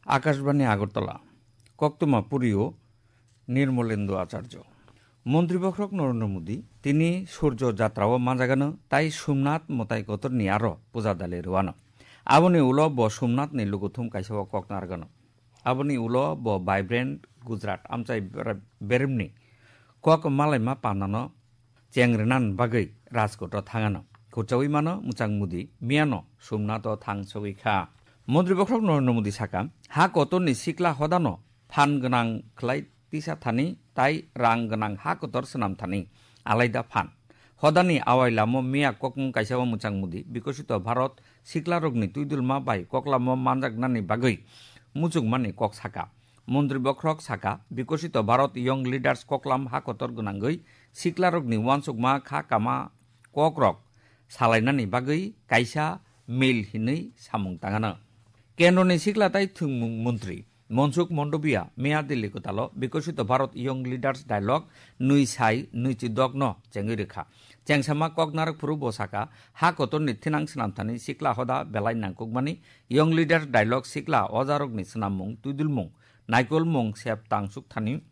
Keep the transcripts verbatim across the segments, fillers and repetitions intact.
Akashbani Agartala, koktwma purio Nirmolendu Acharjo. Montri bokhorok Narendra Modi tini Surjo Jatra o manjagano tai Somnath mwtai kotorni aro puja dali rwano. Aboni ulo bo Somnathni lukuthum kaisa o kok narwgano. Aboni ulo bo Vibrant Gujarat amchai ber-, beremni kok malaima pandano cheng rwna bagwi Rajkot o thangano. Khurchawi mano mwchang Modi miyano Somnath o thang sogwi kha. Montri bokhorok Narendra Modi saka, ha kotorni sikla hodano phan gwnang khlai tisa thani tai rang gwnang ha kotor swnam thani alaida phan. Hodani awai lamo miya kokmung kaisa o mwchang Modi Bikosito Bharat siklarokni twidulma bai koklamo manjaknani bagwi muchungmani kok saka. Montri bokhorok saka, Bikosito Bharat Young Leaders koklam ha kotor gwnangwi siklarokni uansukma kha kama kokrok salainani bagwi kaisa mil hinwi samung tangano. Kendroni sikla tai thwngmung montri Mansukh Mandaviya miya Delhi kwtalo Bikosito Bharat Young Leaders Dialogue nwi sai nwi chi dok no chengwi rwkha. Chengsama kok narwk phuru bo saka, ha kotorni thinang swnam thani sikla hoda belai nangkukmani Young Leaders Dialogue sikla ojarokni swnammung, twidulmung, naikolmung sep tangsuk thani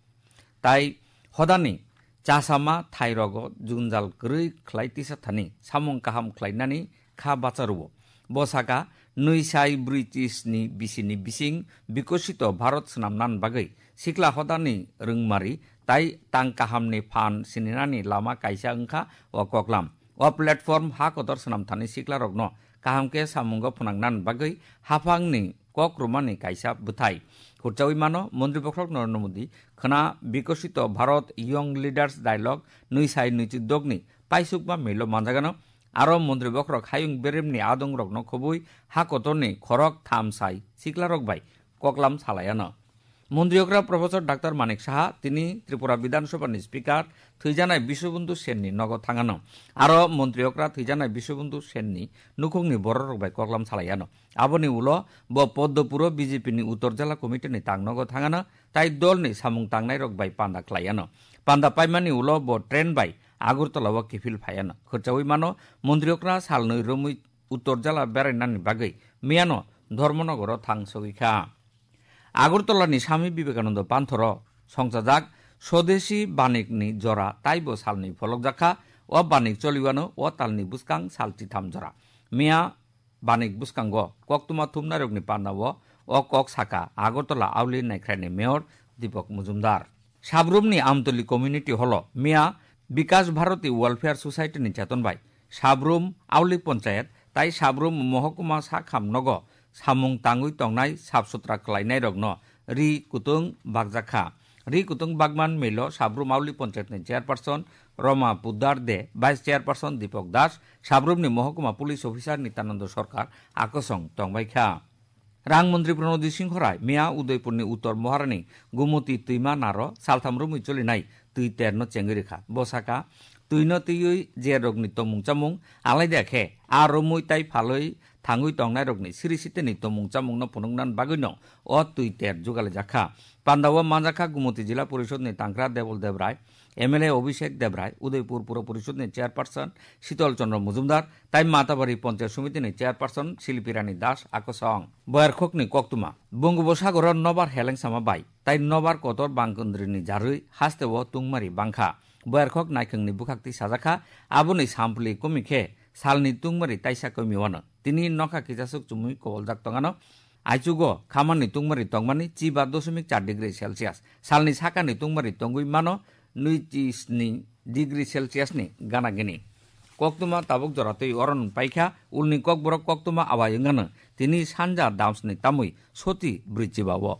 tai hodani chasama thairogo junjal kwrwi khlai tisa thani samung kaham khlainani kha bacharuo. Bo saka, nwi sai brwi chi sni bisini bising Bikosito Bharat swnamnan bagwi sikla hodani rwngmari tai tang kahamni phan sininani lama kaisa wngkha o koklam. O platform ha kotor swnam thani siklarokno kaham khe samungo phwnangnan bagwi haphangni kok rwmani kaisa bwthai. Khurchawi mano, Montri bokhorok Narendra Modi khwna Bikosito Bharat Young Leaders Dialogue nwi sai nwi chi dok ni paisukma milo manjagano, aro montri bokhorok hayung beremni adongrokno khobwi ha kotorni khorok tham sai siklarok bai koklam salaiano. Montri okra Professor Doctor Manik Saha tini Tripura Bidhan Sabha ni Speaker thwijanai Biswabandhu Sen ni nogo thangano. Aro montri okra thwijanai Biswabandhu Sen ni nukhungni bororok bai koklam salaiano. Aboni ulo bo Poddo puro B J P ni Uttor Jala Committee ni tangnogo thangano tai dol ni samung tangnairok bai panda khlaiano. Panda paimani ulo bo train bai Agartala o kiphil phaiano. Khurchawi mano, montri okra salnwi romwi Uttor Jala berainani bagwi miyano Dharmanagar o thang sogwi kha. Agartala ni Swami Vivekananda Panthor o songchajak Swadeshi Banik ni jora taibo salnwi pholokjak kha. O banik choliwano o talni bwskang sal chitham jora. Miya banik bwskango koktwma thumnairokni pandao o kok saka Agartala Auli Naikrai ni Mayor Deepak Majumdar. Sabrumni Amtoli Community Hall o miya Bikash Bharati Welfare Society ni cheton bai Sabrum Auli Panchayat tai Sabrum Mohokuma Sakham nogo samung tangwi tongnai sap sutra khlainairokno ri kutung bakjak kha. Ri kutung bakman milo Sabrum Auli Panchayat ni Chairperson Roma Poddar de, Vice Chairperson Deepak Das, Sabrumni Mohokuma Police Officer Nityananda Sarkar akosong tongbai kha. Rang Montri Pranodhi Singhorai miya Udaipurni Uttor Moharani Gumoti twima naro saltham romwi cholinai twi terno chengwi rwkha. Bo saka, twino twiwi je rokni tomung chamung alaida khe a romwi tai phalwi thangwi tongnairokni siri siteni tomung chamungno phunukna bagwino o twi ter jugalaijak kha. Pandao manjakha Gumoti Jila Porishodni Tangkra Debol Debrai, M L A Abhishek Debrai, Udaipur Puro Porishodni Chairperson Shitol Chandra Majumdar, tai Matabari Panchayat Somitini Chairperson Silpi Rani Das akosong. Boyarkhokni koktwma. Bungubosagoro nobar helengsama bai tai nobar kotor bangkundrini jarwi hasteo tungmari bangkha. Boyarkhok naikhwngni bwkhak twi sajakha, aboni sampli kwmwi khe salni tungmari taisa kwmwi wano. Tini nokha kichasuk chumui koboljak tongano. Aichugo khamani tungmari tongmani chiba dosmik char degree Celsius. Salni sakani tungmari tongwi mano nwi chi sni degree Celsius ni gana gini. Koktwma tabuk jora twi oron paikha, ulni kokborok koktwma awai wngano. Tini sanja damsni tamwi soti brwi chiba o.